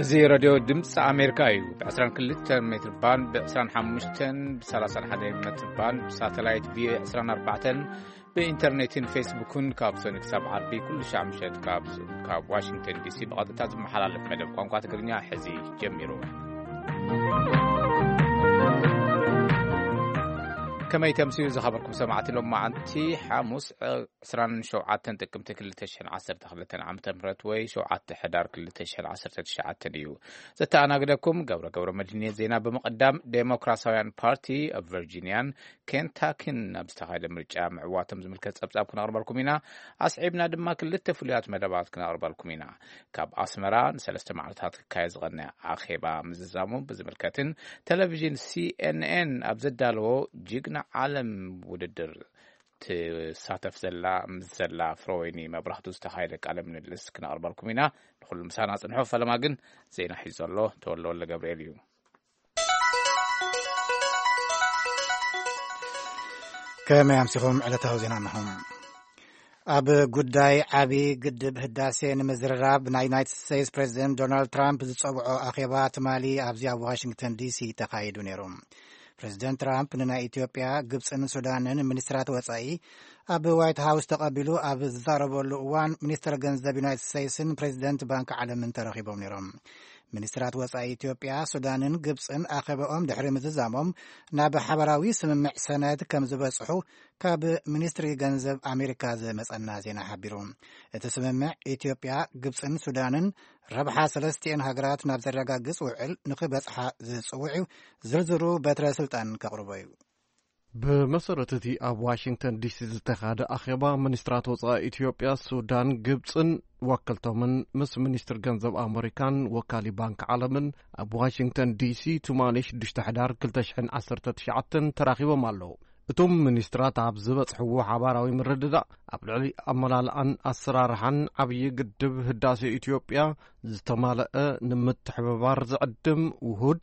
እዚ ሬድዮ ድምፂ ኣሜሪካ እዩ። ብ22 ሜትር ባንድ፣ ብ25፣ ብ31 ሜትር ባንድ፣ ብሳተላይት ቪ24፣ ብኢንተርኔትን ፌስቡክን ካብ ሰኒ ክሳብ ዓርቢ ኩሉ ሻዕ ምሸት ካብ፣ ካብ ዋሽንግተን ዲሲ ብቐጥታ ዝመሓላለፍ መደብ ቋንቋ ትግርኛ ሕዚ ጀሚሩ። ከመይ ተምስዩ ዝኸበርኩም ሰማዕቲ፣ ሎም መዓንቲ ሓሙስ ዕስራን ሸውዓተን ጥቅምቲ ክልተ ሽሕን ዓሰርተ ክልተን ዓመተ ምህረት ወይ ሸውዓተ ሕዳር ክልተ ሽሕን ዓሰርተ ትሽዓተን እዩ። ዘተኣናግደኩም ገብረ ገብረ መድህን እየ። ዜና ብምቕዳም፣ ዴሞክራሲያውያን ፓርቲ ኣብ ቨርጂኒያን ኬንታኪን ኣብ ዝተኻየደ ምርጫ ምዕዋቶም ዝምልከት ጸብጻብ ክነቕርበልኩም ኢና። ኣስዒብና ድማ ክልተ ፍሉያት መደባት ክነቕርበልኩም ኢና። ካብ ኣስመራ ንሰለስተ መዓልታት ክካየድ ዝቐነ ኣኼባ ምዝዛሙ ብዝምልከትን ቴሌቪዥን ሲኤንኤን ኣብ ዘዳለዎ ጅግና ዓለም ውድድር ትሳተፍ ዘላ፣ ምስ ዘላ ፍረወይኒ መብራህቱ ዝተኻየደ ቃለ ምልልስ ክነቕርበልኩም ኢና። ንኹሉ ምሳና ጽንሑ። ፈለማ ግን ዜና ሒዙ ዘሎ ተወልደ ወልደ ገብርኤል እዩ። ከመይ ኣምሲኹም? ዕለታዊ ዜና እነሆ። ኣብ ጉዳይ ዓቢ ግድብ ህዳሴ ንምዝርራብ ናይ ዩናይትድ ስቴትስ ፕሬዚደንት ዶናልድ ትራምፕ ዝጸውዖ ኣኼባ ትማሊ ኣብዚ ኣብ ዋሽንግተን ዲሲ ተኻይዱ ነይሩ። ፕሬዚደንት ትራምፕ ንናይ ኢትዮጵያ፣ ግብጽን ሱዳንን ሚኒስትራት ወጻኢ ኣብ ዋይት ሃውስ ተቐቢሉ ኣብ ዝዛረበሉ እዋን፣ ሚኒስትር ገንዘብ ዩናይትድ ስቴትስን ፕሬዚደንት ባንክ ዓለምን ተረኺቦም ነይሮም። ሚኒስትራት ወጻኢ ኢትዮጵያ፣ ሱዳንን ግብጽን ኣኼባኦም ድሕሪ ምዝዛሞም ናብ ሓበራዊ ስምምዕ ሰነድ ከም ዝበጽሑ ካብ ሚኒስትሪ ገንዘብ ኣሜሪካ ዝመጸና ዜና ሓቢሩ። እቲ ስምምዕ ኢትዮጵያ፣ ግብጽን ሱዳንን ረብሓ ሰለስቲኤን ሃገራት ናብ ዘረጋግጽ ውዕል ንኽበጽሓ ዝጽውዕ እዩ። ዝርዝሩ በትረ ስልጣን ከቕርቦ እዩ። ብመሰረት እቲ ኣብ ዋሽንግተን ዲሲ ዝተኻደ ኣኼባ፣ ሚኒስትራት ወጻኢ ኢትዮጵያ፣ ሱዳን፣ ግብጽን ወከልቶምን ምስ ሚኒስትር ገንዘብ ኣመሪካን ወካሊ ባንክ ዓለምን ኣብ ዋሽንግተን ዲሲ ትማሊ ሽዱሽተ ሕዳር ክልተ ሽሕን ዓሰርተ ትሽዓተን ተራኺቦም ኣለዉ። እቶም ሚኒስትራት ኣብ ዝበጽሕዎ ሓባራዊ ምርድዳእ፣ ኣብ ልዕሊ ኣመላልኣን ኣሰራርሓን ዓብዪ ግድብ ህዳሴ ኢትዮጵያ ዝተማልአ፣ ንምትሕብባር ዝዕድም፣ ውሁድ፣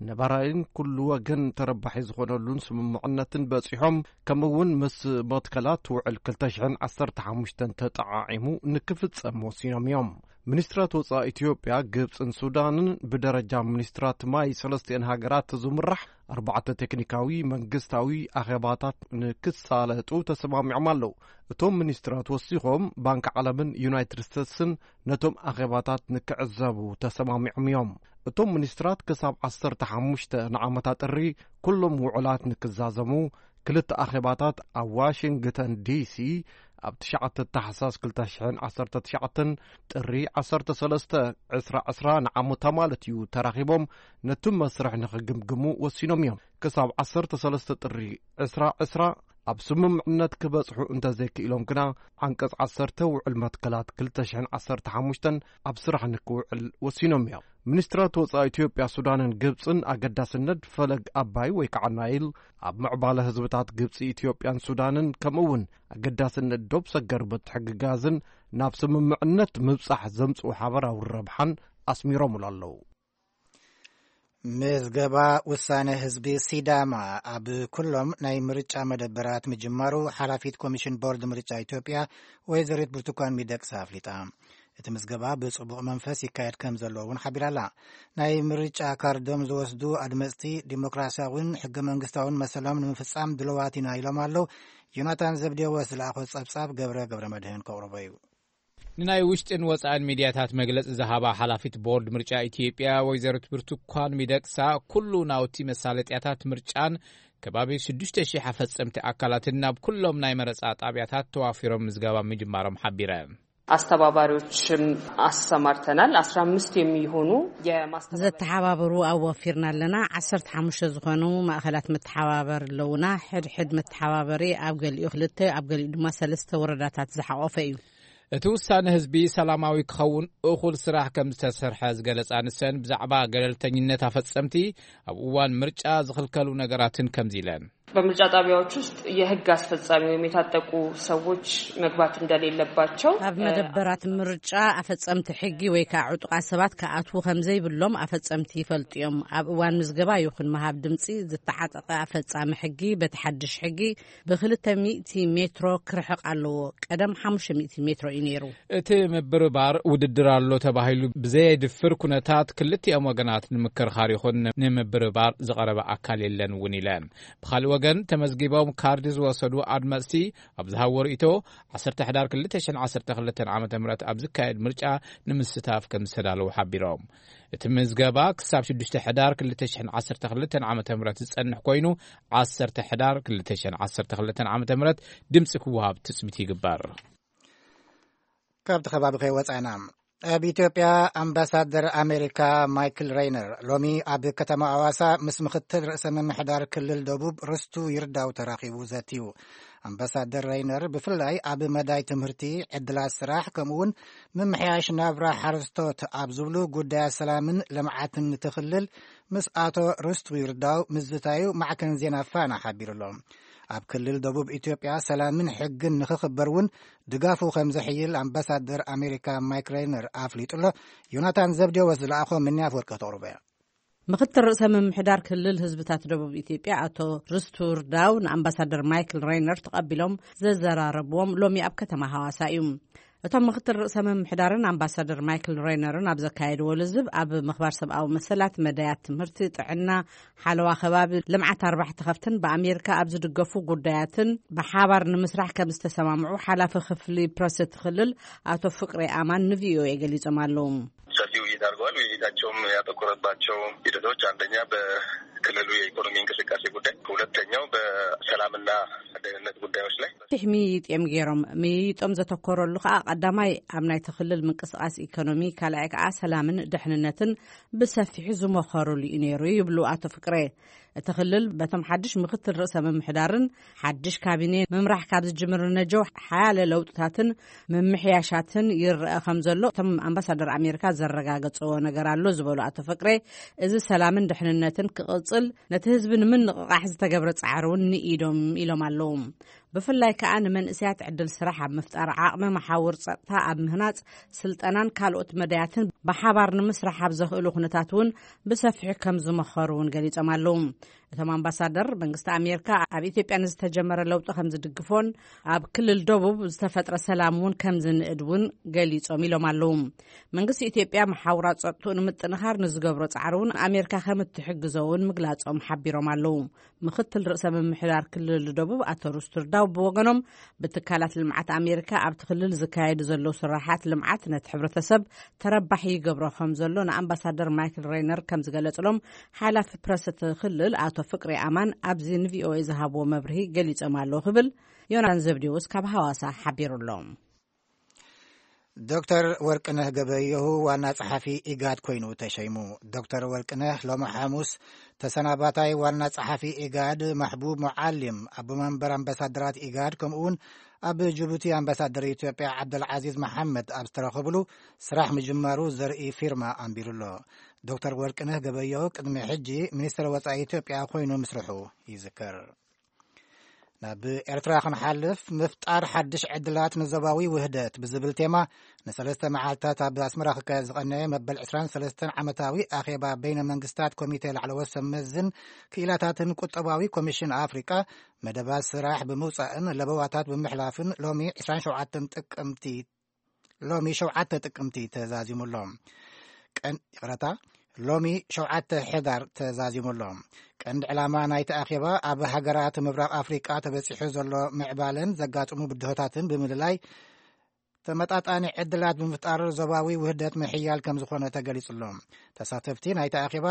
ነባራይን ኩሉ ወገን ተረባሒ ዝኾነሉን ስምምዕነትን በጺሖም፣ ከምኡ እውን ምስ መትከላት ውዕል ክልተ ሽሕን ዓሰርተ ሓሙሽተን ተጠዓዒሙ ንክፍጸም ወሲኖም እዮም። ሚኒስትራት ወጻኢ ኢትዮጵያ፣ ግብጽን ሱዳንን ብደረጃ ሚኒስትራት ማይ ሰለስቲኤን ሃገራት ዝምራሕ ኣርባዕተ ቴክኒካዊ መንግስታዊ ኣኼባታት ንክሳለጡ ተሰማሚዖም ኣለዉ። እቶም ሚኒስትራት ወሲኾም፣ ባንክ ዓለምን ዩናይትድ ስቴትስን ነቶም ኣኼባታት ንክዕዘቡ ተሰማሚዖም እዮም። እቶም ሚኒስትራት ክሳብ ዓሰርተ ሓሙሽተ ንዓመታ ጥሪ ኩሎም ውዕላት ንክዛዘሙ፣ ክልተ ኣኼባታት ኣብ ዋሽንግተን ዲሲ ኣብ ትሽዓተ ታሕሳስ ክልተ ሽሕን ዓሰርተ ትሽዓተን፣ ጥሪ ዓሰርተ ሰለስተ፣ ዕስራ ዕስራ ንዓመታ ማለት እዩ፣ ተራኺቦም ነቲ መስርሕ ንኽግምግሙ ወሲኖም እዮም። ክሳብ ዓሰርተ ሰለስተ ጥሪ ዕስራ ዕስራ ኣብ ስምምዕነት ክበጽሑ እንተዘይክኢሎም ግና፣ ዓንቀጽ ዓሰርተ ውዕል መትከላት ክልተ ሽሕን ዓሰርተ ሓሙሽተን ኣብ ስራሕ ንክውዕል ወሲኖም እዮም። ሚኒስትራት ወጻኢ ኢትዮጵያ፣ ሱዳንን ግብጽን ኣገዳስነት ፈለግ ኣባይ ወይ ከዓ ናይል ኣብ ምዕባለ ህዝብታት ግብጺ፣ ኢትዮጵያን ሱዳንን፣ ከምኡ እውን ኣገዳስነት ዶብ ሰገር ምትሕግጋዝን ናብ ስምምዕነት ምብጻሕ ዘምጽኡ ሓበራዊ ረብሓን ኣስሚሮምሉ ኣለዉ። ምዝገባ ውሳነ ህዝቢ ሲዳማ ኣብ ኩሎም ናይ ምርጫ መደበራት ምጅማሩ ሓላፊት ኮሚሽን ቦርድ ምርጫ ኢትዮጵያ ወይዘሪት ብርቱካን ሚደቅሳ ኣፍሊጣ። እቲ ምዝገባ ብጽቡቕ መንፈስ ይካየድ ከም ዘሎ እውን ሓቢራ ኣላ። ናይ ምርጫ ካርዶም ዝወስዱ ኣድመጽቲ ዲሞክራሲያውን ሕገ መንግስታውን መሰሎም ንምፍጻም ድልዋት ኢና ኢሎም ኣለዉ። ዮናታን ዘብዴዎስ ዝለኣኾ ጸብጻብ ገብረ ገብረ መድህን ከቕርቦ እዩ። ንናይ ውሽጥን ወጻእን ሚድያታት መግለጺ ዝሃባ ሓላፊት ቦርድ ምርጫ ኢትዮጵያ ወይዘሪት ብርቱካን ሚደቅሳ፣ ኩሉ ናውቲ መሳለጥያታት ምርጫን ከባቢ ሽዱሽተ ሺሕ ኣፈጸምቲ ኣካላትን ናብ ኩሎም ናይ መረጻ ጣብያታት ተዋፊሮም ምዝገባ ምጅማሮም ሓቢረን። አስተባባሪዎችም አሰማርተናል። አስራ አምስት የሚሆኑ የማስተባበሪያ ዘተሓባበሩ ኣዋፊርና ኣለና። ዓሰርተ ሓሙሽተ ዝኾኑ ማእኸላት መተሓባበር ኣለዉና። ሕድሕድ መተሓባበሪ ኣብ ገሊኡ ክልተ፣ ኣብ ገሊኡ ድማ ሰለስተ ወረዳታት ዝሓቖፈ እዩ። እቲ ውሳነ ህዝቢ ሰላማዊ ክኸውን እኹል ስራሕ ከም ዝተሰርሐ ዝገለጻ ንሰን፣ ብዛዕባ ገለልተኝነት ኣፈጸምቲ ኣብ እዋን ምርጫ ዝኽልከሉ ነገራትን ከምዚ ኢለን። በምርጫ ጣቢያዎች ውስጥ የህግ አስፈጻሚ ወይም የታጠቁ ሰዎች መግባት እንደሌለባቸው፣ ኣብ መደበራት ምርጫ ኣፈጸምቲ ሕጊ ወይ ከዓ ዕጡቓት ሰባት ክኣትዉ ከም ዘይብሎም ኣፈጸምቲ ይፈልጡ እዮም። ኣብ እዋን ምዝገባ ይኹን ምሃብ ድምፂ ዝተዓጠቐ ኣፈጻሚ ሕጊ በቲ ሓድሽ ሕጊ ብ200 ሜትሮ ክርሕቕ ኣለዎ። ቀደም 500 ሜትሮ እዩ ነይሩ። እቲ ምብርባር ውድድር ኣሎ ተባሂሉ ብዘየድፍር ኩነታት ክልቲኦም ወገናት ንምክርኻር ይኹን ንምብርባር ዝቐረበ ኣካል የለን እውን ኢለን። ብኻልእ ወገን ተመዝጊቦም ካርዲ ዝወሰዱ ኣድመፅቲ ኣብ ዝሃብዎ ርእይቶ 10 ሕዳር 2012 ዓ ም ኣብ ዝካየድ ምርጫ ንምስታፍ ከም ዝተዳለዉ ሓቢሮም። እቲ ምዝገባ ክሳብ 6 ሕዳር 2012 ዓ ም ዝጸንሕ ኮይኑ 10 ሕዳር 2012 ዓ ም ድምፂ ክወሃብ ትፅቢት ይግበር። ካብቲ ከባቢ ከይወፃና፣ ኣብ ኢትዮጵያ ኣምባሳደር ኣሜሪካ ማይክል ሬይነር ሎሚ ኣብ ከተማ ኣዋሳ ምስ ምክትል ርእሰ ምምሕዳር ክልል ደቡብ ርስቱ ይርዳው ተራኺቡ ዘትዩ። ኣምባሳደር ሬይነር ብፍላይ ኣብ መዳይ ትምህርቲ፣ ዕድላት ስራሕ፣ ከምኡውን ምምሕያሽ ናብራ ሓረስቶት ኣብ ዝብሉ ጉዳያት ሰላምን ልምዓትን እቲ ክልል ምስ ኣቶ ርስቱ ይርዳው ምዝታዩ ማዕከን ዜና ፋና ሓቢሩ ኣሎ። ኣብ ክልል ደቡብ ኢትዮጵያ ሰላምን ሕግን ንክኽበር እውን ድጋፉ ከም ዘሕይል ኣምባሳደር ኣሜሪካ ማይክ ሬይነር ኣፍሊጡ ኣሎ። ዮናታን ዘብዴዎስ ዝለኣኾ ምንያ ኣፈወርቂ ክተቕርቦ እያ። ምክትል ርእሰ ምምሕዳር ክልል ህዝብታት ደቡብ ኢትዮጵያ ኣቶ ርስቱ ርዳው ንኣምባሳደር ማይክል ሬይነር ተቐቢሎም ዘዘራረብዎም ሎሚ ኣብ ከተማ ሃዋሳ እዩ። እቶም ምክትል ርእሰ ምምሕዳርን ኣምባሳደር ማይክል ሬይነርን ኣብ ዘካየድዎ ልዝብ፣ ኣብ ምኽባር ሰብኣዊ መሰላት፣ መዳያት ትምህርቲ፣ ጥዕና፣ ሓለዋ ከባቢ፣ ልምዓት ኣርባሕቲ ከፍትን ብኣሜሪካ ኣብ ዝድገፉ ጉዳያትን ብሓባር ንምስራሕ ከም ዝተሰማምዑ ሓላፊ ክፍሊ ፕረስ እቲ ክልል ኣቶ ፍቅሬ ኣማን ንቪኦኤ ገሊጾም ኣለዉ። ሰፊ ውይይት አድርገዋል። ውይይታቸውም ያተኮረባቸው ሂደቶች አንደኛ በክልሉ የኢኮኖሚ እንቅስቃሴ ጉዳይ፣ ሁለተኛው በሰላምና ደህንነት ጉዳዮች ላይ። ፊሕ ምይይጥ እዮም ገይሮም። ምይይጦም ዘተኮረሉ ከዓ ቀዳማይ ኣብ ናይቲ ክልል ምንቅስቃስ ኢኮኖሚ፣ ካልኣይ ከዓ ሰላምን ድሕንነትን ብሰፊሑ ዝመኸሩሉ እዩ ነይሩ ይብሉ ኣቶ ፍቅሬ። እቲ ክልል በቶም ሓድሽ ምክትል ርእሰ ምምሕዳርን ሓድሽ ካቢኔ ምምራሕ ካብ ዝጅምር ነጀው ሓያለ ለውጥታትን ምምሕያሻትን ይረአ ከም ዘሎ እቶም ኣምባሳደር ኣሜሪካ ዘረጋገፅዎ ነገር ኣሎ ዝበሉ ኣቶ ፍቅሬ፣ እዚ ሰላምን ድሕንነትን ክቕፅል ነቲ ህዝቢ ንምንቕቓሕ ዝተገብረ ፃዕሪ እውን ንኢዶም ኢሎም ኣለዉ። ብፍላይ ከዓ ንመንእሰያት ዕድል ስራሕ ኣብ ምፍጣር፣ ዓቕሚ መሓውር ጸጥታ ኣብ ምህናጽ፣ ስልጠናን ካልኦት መዳያትን ብሓባር ንምስራሕ ኣብ ዘኽእሉ ኩነታት እውን ብሰፊሑ ከም ዝመኸሩ እውን ገሊጾም ኣለዉ። እቶም ኣምባሳደር፣ መንግስቲ ኣሜሪካ ኣብ ኢትዮጵያ ንዝተጀመረ ለውጢ ከም ዝድግፎን ኣብ ክልል ደቡብ ዝተፈጥረ ሰላም እውን ከም ዝንእድ እውን ገሊጾም ኢሎም ኣለዉ። መንግስቲ ኢትዮጵያ መሓውራት ጸጥትኡ ንምጥንኻር ንዝገብሮ ጻዕሪ እውን ኣሜሪካ ከም እትሕግዞ እውን ምግላጾም ሓቢሮም ኣለዉ። ምክትል ርእሰ ምምሕዳር ክልል ደቡብ ኣቶ ሩስቱር ዳው ብወገኖም፣ ብትካላት ልምዓት ኣሜሪካ ኣብቲ ክልል ዝካየዱ ዘለዉ ስራሓት ልምዓት ነቲ ሕብረተሰብ ተረባሒ ይገብሮ ከም ዘሎ ንኣምባሳደር ማይክል ሬይነር ከም ዝገለጽሎም ሓላፊ ፕረስ እቲ ክልል ኣቶ ፍቅሪ ኣማን ኣብዚ ንቪኦኤ ዝሃብዎ መብርሂ ገሊጾም ኣለዉ ክብል ዮናን ዘብዴዎስ ካብ ሃዋሳ ሓቢሩ ኣሎ። ዶክተር ወርቅነህ ገበየሁ ዋና ጸሓፊ ኢጋድ ኮይኑ ተሸይሙ። ዶክተር ወርቅነህ ሎሚ ሓሙስ ተሰናባታይ ዋና ጸሓፊ ኢጋድ ማሕቡብ ሙዓሊም፣ ኣቦ መንበር ኣምባሳደራት ኢጋድ፣ ከምኡውን ኣብ ጅቡቲ ኣምባሳደር ኢትዮጵያ ዓብደልዓዚዝ መሓመድ ኣብ ዝተረኸብሉ ስራሕ ምጅማሩ ዘርኢ ፊርማ ኣንቢሩ ኣሎ። ዶክተር ወርቅነህ ገበየሁ ቅድሚ ሕጂ ሚኒስትር ወጻኢ ኢትዮጵያ ኮይኑ ምስርሑ ይዝከር። ናብ ኤርትራ ክንሓልፍ፣ ምፍጣር ሓድሽ ዕድላት ንዞባዊ ውህደት ብዝብል ቴማ ንሰለስተ መዓልታት ኣብ ኣስመራ ክካየድ ዝቐነየ መበል 23 ዓመታዊ ኣኼባ በይነ መንግስታት ኮሚቴ ላዕለዎት ሰብ መዝን ክኢላታትን ቁጠባዊ ኮሚሽን ኣፍሪቃ መደባት ስራሕ ብምውጻእን ለበዋታት ብምሕላፍን ሎሚ 27 ጥቅምቲ ሎሚ 7 ጥቅምቲ ተዛዚሙ ኣሎ። ቀን-፣ ይቕረታ፣ ሎሚ 7 ሕዳር ተዛዚሙ ኣሎ። ቀንዲ ዕላማ ናይቲ ኣኼባ ኣብ ሃገራት ምብራቕ ኣፍሪቃ ተበጺሑ ዘሎ ምዕባለን ዘጋጥሙ ብድሆታትን ብምልላይ ተመጣጣኒ ዕድላት ብምፍጣር ዞባዊ ውህደት ምሕያል ከም ዝኾነ ተገሊጹ ኣሎ። ተሳተፍቲ ናይቲ ኣኼባ፣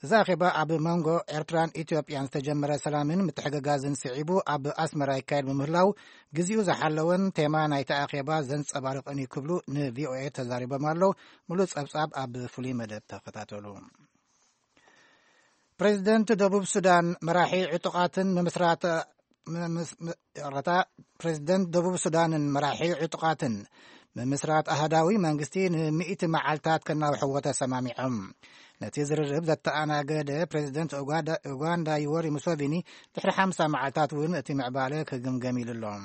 እዚ ኣኼባ ኣብ መንጎ ኤርትራን ኢትዮጵያን ዝተጀመረ ሰላምን ምትሕግጋዝን ስዒቡ ኣብ ኣስመራ ይካየድ ብምህላው፣ ግዜኡ ዝሓለወን ቴማ ናይቲ ኣኼባ ዘንጸባርቕን እዩ ክብሉ ንቪኦኤ ተዛሪቦም ኣለዉ። ሙሉእ ጸብጻብ ኣብ ፍሉይ መደብ ተኸታተሉ። ፕሬዚደንት ደቡብ ሱዳን መራሒ ዕጡቓትን ምምስራት፣ ምምስ-፣ ም-፣ ይቕረታ፣ ፕሬዚደንት ደቡብ ሱዳንን መራሒ ዕጡቓትን ምምስራት ኣህዳዊ መንግስቲ ንሚእቲ መዓልታት ከናውሕዎ ተሰማሚዖም። ነቲ ዝርርብ ዘተኣናገደ ፕሬዚደንት ኡጋንዳ ዩወሪ ሙሶቪኒ ድሕሪ ሓምሳ መዓልታት እውን እቲ ምዕባለ ክግምገም ኢሉ ኣሎ።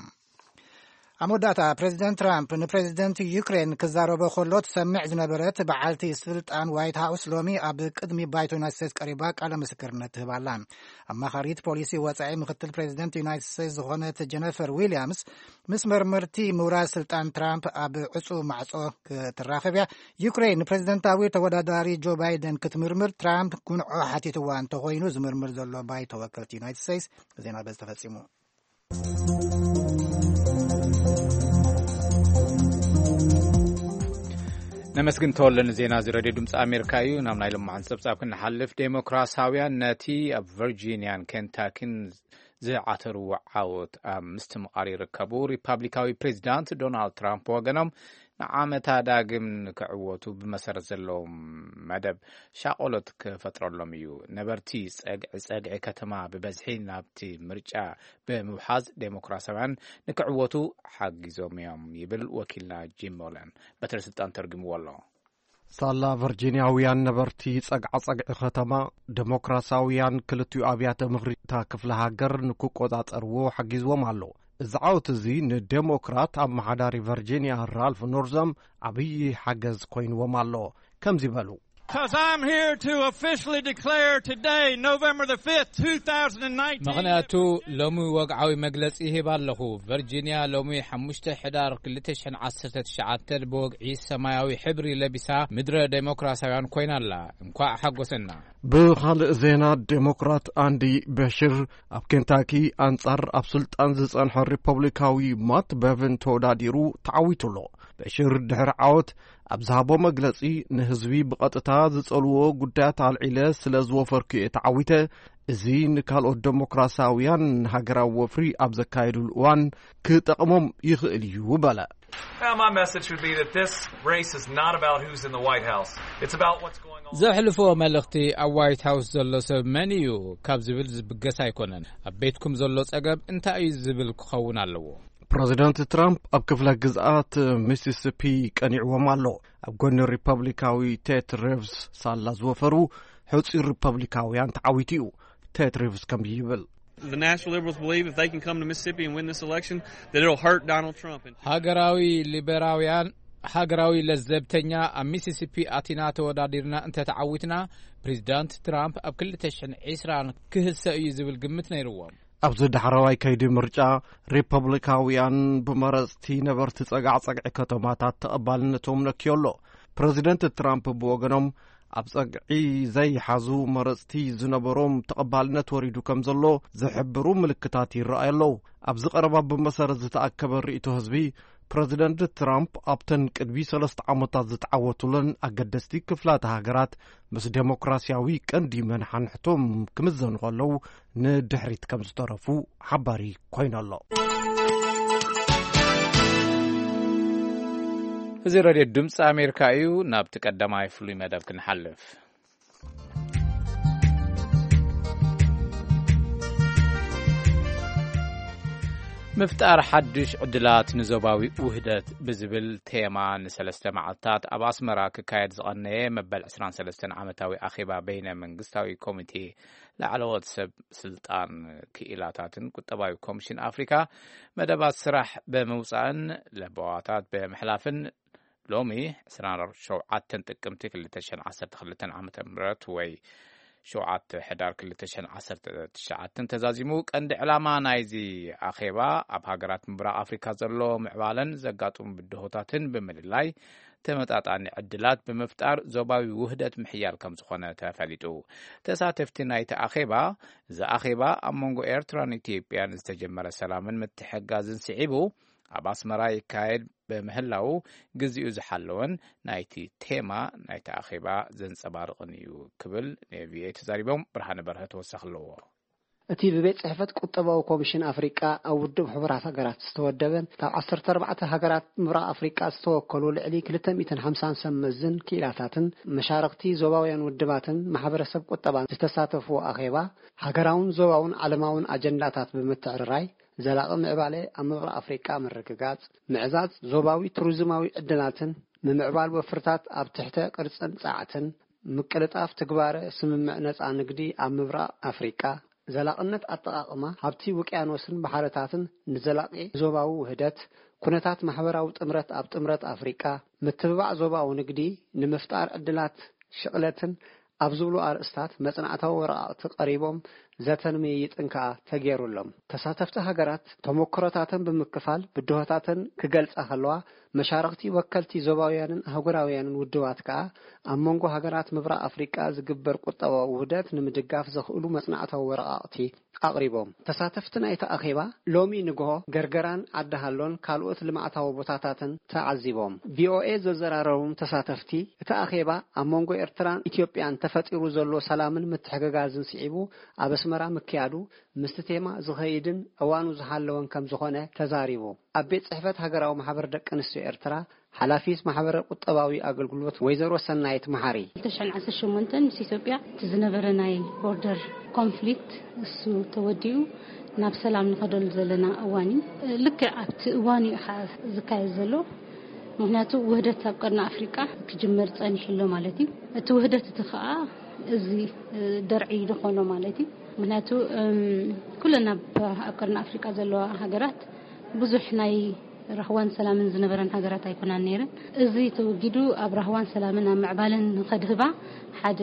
ኣብ መወዳእታ ፕሬዚደንት ትራምፕ ንፕሬዚደንት ዩክሬን ክዛረቦ ከሎ ትሰምዕ ዝነበረት በዓልቲ ስልጣን ዋይት ሃውስ ሎሚ ኣብ ቅድሚ ባይቶ ዩናይትድ ስቴትስ ቀሪባ ቃለ ምስክርነት ትህብ ኣላ። ኣማኻሪት ፖሊሲ ወጻኢ ምክትል ፕሬዚደንት ዩናይትድ ስቴትስ ዝኾነት ጀነፈር ዊልያምስ ምስ መርመርቲ ምውራድ ስልጣን ትራምፕ ኣብ ዕጹ ማዕጾ ክትራኸብ እያ። ዩክሬን ንፕሬዚደንታዊ ተወዳዳሪ ጆ ባይደን ክትምርምር ትራምፕ ጉንዖ ሓቲትዋ እንተኾይኑ ዝምርምር ዘሎ ባይቶ ወከልቲ ዩናይትድ ስቴትስ ዜና በዚ ተፈጺሙ። ነመስግን ተወለ ንዜና እዚ ሬድዮ ድምፂ ኣሜሪካ እዩ። ናብ ናይ ልማዓን ፀብፃብ ክንሓልፍ፣ ዴሞክራሳውያን ነቲ ኣብ ቨርጂኒያን ኬንታኪን ዝዓተርዎ ዓወት ኣብ ምስትምቓር ይርከቡ። ሪፓብሊካዊ ፕሬዚዳንት ዶናልድ ትራምፕ ወገኖም ንዓመታ ዳግም ንክዕወቱ ብመሰረት ዘለዎም መደብ ሻቆሎት ክፈጥረሎም እዩ። ነበርቲ ፀግዒ ፀግዒ ከተማ ብበዝሒ ናብቲ ምርጫ ብምውሓዝ ዴሞክራሳውያን ንክዕወቱ ሓጊዞም እዮም ይብል ወኪልና ጂም ሞለን። በትረ ስልጣን ተርጉምዎ ኣሎ። ሳላ ቨርጂንያውያን ነበርቲ ጸግዓጸግዒ ከተማ፣ ደሞክራሳውያን ክልቲኡ ኣብያተ ምኽሪ እታ ክፍለ ሃገር ንክቆጻጸርዎ ሓጊዝዎም ኣሎ። እዚ ዓወት እዚ ንደሞክራት ኣመሓዳሪ ቨርጂንያ ራልፍ ኖርዘም ዓብዪ ሓገዝ ኮይንዎም ኣሎ። ከምዚ በሉ። Because I'm here to officially declare today, November the fifth, two thousand nineteen. ምኽንያቱ ሎሚ ወግዓዊ መግለጺ ይህብ ኣለኹ። ቨርጂንያ ሎሚ ሓሙሽተ ሕዳር ክልተ ሽሕን ዓሰርተ ትሽዓተ ብወግዒ ሰማያዊ ሕብሪ ለቢሳ ምድረ ዴሞክራሲያውያን ኮይና ኣላ። እንኳዕ ሓጎሰና። ብኻልእ ዜና፣ ዴሞክራት ኣንዲ በሽር ኣብ ኬንታኪ ኣንጻር ኣብ ስልጣን ዝጸንሐ ሪፐብሊካዊ ማት በቭን ተወዳዲሩ ተዓዊቱ ኣሎ። በሽር ድሕሪ ዓወት ኣብ ዝሃቦ መግለጺ፣ ንህዝቢ ብቐጥታ ዝጸልዎ ጉዳያት ኣልዒለ ስለ ዝወፈርኩ እየ ተዓዊተ። እዚ ንካልኦት ደሞክራሲያውያን ሃገራዊ ወፍሪ ኣብ ዘካየዱሉ እዋን ክጠቕሞም ይኽእል እዩ በለ። Well, my message would be that this race is not about who's in the White House. It's about what's going on. ዘሕልፎ መልእኽቲ ኣብ ዋይት ሃውስ ዘሎ ሰብ መን እዩ ካብ ዝብል ዝብገስ ኣይኮነን። ኣብ ቤትኩም ዘሎ ጸገም እንታይ እዩ ዝብል ክኸውን ኣለዎ። ፕረዚደንት ትራምፕ ኣብ ክፍለ ግዝኣት ሚሲሲፒ ቀኒዕዎም ኣሎ። ኣብ ጎኒ ሪፐብሊካዊ ቴት ሪቭስ ሳላ ዝወፈሩ ሕጹይ ሪፐብሊካውያን ተዓዊቱ እዩ። ቴት ሪቭስ ከምዚ ይብል። The National Liberals believe if they can come to Mississippi and win this election, that it'll hurt Donald Trump. And ሃገራዊ ሊበራውያን፣ ሃገራዊ ለዘብተኛ፣ ኣብ ሚሲሲፒ ኣቲና ተወዳዲርና እንተተዓዊትና፣ ፕሬዚዳንት ትራምፕ ኣብ ክልተ ሽሕን ዕስራን ክህሰ እዩ ዝብል ግምት ነይርዎም። ኣብዚ ዳሕረዋይ ከይዲ ምርጫ፣ ሪፐብሊካውያን ብመረፅቲ ነበርቲ ጸጋዕጸግዒ ከተማታት ተቐባልነቶም ነክዮ ኣሎ። ፕረዚደንት ትራምፕ ብወገኖም፣ ኣብ ጸግዒ ዘይሓዙ መረፅቲ ዝነበሮም ተቐባልነት ወሪዱ ከም ዘሎ ዝሕብሩ ምልክታት ይረኣዩ ኣለዉ። ኣብዚ ቀረባ ብመሰረት ዝተኣከበ ርእይቶ ህዝቢ፣ ፕረዚደንት ትራምፕ ኣብተን ቅድሚ ሰለስተ ዓመታት ዝተዓወቱለን ኣገደስቲ ክፍላተ ሃገራት ምስ ዴሞክራሲያዊ ቀንዲ መናሓንሕቶም ክምዘኑ ከለዉ፣ ንድሕሪት ከም ዝተረፉ ሓባሪ ኮይኑ ኣሎ። እዚ ሬድዮ ድምፂ ኣሜሪካ እዩ። ናብቲ ቀዳማይ ፍሉይ መደብ ክንሓልፍ። ምፍጣር ሓድሽ ዕድላት ንዞባዊ ውህደት ብዝብል ቴማ ንሰለስተ መዓልታት ኣብ ኣስመራ ክካየድ ዝቐነየ መበል ዕስራን ሰለስተን ዓመታዊ ኣኼባ በይነ መንግስታዊ ኮሚቴ ላዕለዎት ሰብ ስልጣን ክኢላታትን ቁጠባዊ ኮሚሽን ኣፍሪካ መደባት ስራሕ ብምውፃእን ለበዋታት ብምሕላፍን ሎሚ ዕስራን ሸውዓተን ጥቅምቲ ክልተ ሽሕን ዓሰርተ ክልተን ዓመተ ምህረት ወይ ሸውዓተ ሕዳር ክልተ ሽሕን ዓሰርተ ትሽዓተን ተዛዚሙ። ቀንዲ ዕላማ ናይዚ ኣኼባ ኣብ ሃገራት ምብራቕ ኣፍሪካ ዘሎ ምዕባለን ዘጋጥሙ ብድሆታትን ብምልላይ ተመጣጣኒ ዕድላት ብምፍጣር ዞባዊ ውህደት ምሕያል ከም ዝኾነ ተፈሊጡ። ተሳተፍቲ ናይቲ ኣኼባ፣ እዚ ኣኼባ ኣብ መንጎ ኤርትራን ኢትዮጵያን ዝተጀመረ ሰላምን ምትሕግጋዝን ስዒቡ ኣብ ኣስመራ ይካየድ ብምህላዉ፣ ግዜኡ ዝሓለወን ናይቲ ቴማ ናይቲ ኣኼባ ዘንጸባርቕን እዩ ክብል ንቪኦኤ ተዛሪቦም። ብርሃነ በርሀ ተወሳኺ ኣለዎ። እቲ ብቤት ጽሕፈት ቁጠባዊ ኮሚሽን ኣፍሪቃ ኣብ ውድብ ሕቡራት ሃገራት ዝተወደበን ካብ ዓሰርተ ኣርባዕተ ሃገራት ምብራቕ ኣፍሪቃ ዝተወከሉ ልዕሊ ክልተ ሚእትን ሓምሳን ሰብ መዝን ክኢላታትን መሻርኽቲ ዞባውያን ውድባትን ማሕበረሰብ ቁጠባን ዝተሳተፍዎ ኣኼባ፣ ሃገራውን ዞባውን ዓለማውን ኣጀንዳታት ብምትዕርራይ ዘላቒ ምዕባለ ኣብ ምብራቕ ኣፍሪቃ ምርግጋጽ፣ ምዕዛዝ ዞባዊ ቱሪዝማዊ ዕድላትን ምምዕባል ወፍርታት ኣብ ትሕተ ቅርጽን ጸዓትን፣ ምቅልጣፍ ትግባረ ስምምዕ ነጻ ንግዲ ኣብ ምብራቕ ኣፍሪቃ፣ ዘላቕነት ኣጠቓቕማ ሃብቲ ውቅያኖስን ባሕርታትን ንዘላቂ ዞባዊ ውህደት፣ ኩነታት ማሕበራዊ ጥምረት ኣብ ጥምረት ኣፍሪቃ፣ ምትብባዕ ዞባዊ ንግዲ ንምፍጣር ዕድላት ሽቕለትን ኣብ ዝብሉ ኣርእስታት መጽናዕታዊ ወረቓቕቲ ቀሪቦም፣ ዘተን ምይይጥን ከኣ ተገይሩሎም። ተሳተፍቲ ሃገራት ተሞክሮታተን ብምክፋል ብድሆታተን ክገልጻ ከለዋ፣ መሻርኽቲ ወከልቲ ዞባውያንን ኣህጉራውያንን ውድባት ከኣ ኣብ መንጎ ሃገራት ምብራቕ ኣፍሪቃ ዝግበር ቁጠባዊ ውህደት ንምድጋፍ ዘኽእሉ መጽናዕታዊ ወረቓቕቲ ኣቕሪቦም። ተሳተፍቲ ናይቲ ኣኼባ ሎሚ ንግሆ ገርገራን ዓዲ ሃሎን ካልኦት ልምዓታዊ ቦታታትን ተዓዚቦም። ቪኦኤ ዘዘራረቦም ተሳተፍቲ፣ እቲ ኣኼባ ኣብ መንጎ ኤርትራን ኢትዮጵያን ተፈጢሩ ዘሎ ሰላምን ምትሕግጋዝን ስዒቡ ኣብ ኣስመራ ምክያዱ ምስቲ ቴማ ዝኸይድን እዋኑ ዝሓለወን ከም ዝኾነ ተዛሪቡ። ኣብ ቤት ጽሕፈት ሃገራዊ ማሕበር ደቂ ኣንስትዮ ኤርትራ ሓላፊት ማሕበረ ቁጠባዊ ኣገልግሎት ወይዘሮ ሰናይት መሓሪ። ክልተ ሽሕን ዓሰርተ ሸሞንተን ምስ ኢትዮጵያ እቲ ዝነበረ ናይ ቦርደር ኮንፍሊክት እሱ ተወዲኡ ናብ ሰላም ንኸደሉ ዘለና እዋን እዩ። ልክዕ ኣብቲ እዋን እዩ ኸዓ ዝካየድ ዘሎ። ምኽንያቱ ውህደት ኣብ ቀርኒ ኣፍሪቃ ክጅመር ጸኒሑ ኣሎ ማለት እዩ። እቲ ውህደት እቲ ኸዓ እዚ ደርዒ ዝኾኖ ማለት እዩ። ምኽንያቱ እም፣ ኩለን ኣብ ኣብ ቀርኒ ኣፍሪቃ ዘለዋ ሃገራት ብዙሕ ናይ ራህዋን ሰላምን ዝነበረን ሃገራት ኣይኮናን ነይረን። እዚ ተወጊዱ ኣብ ራህዋን ሰላምን ኣብ ምዕባለን ንኸድህባ ሓደ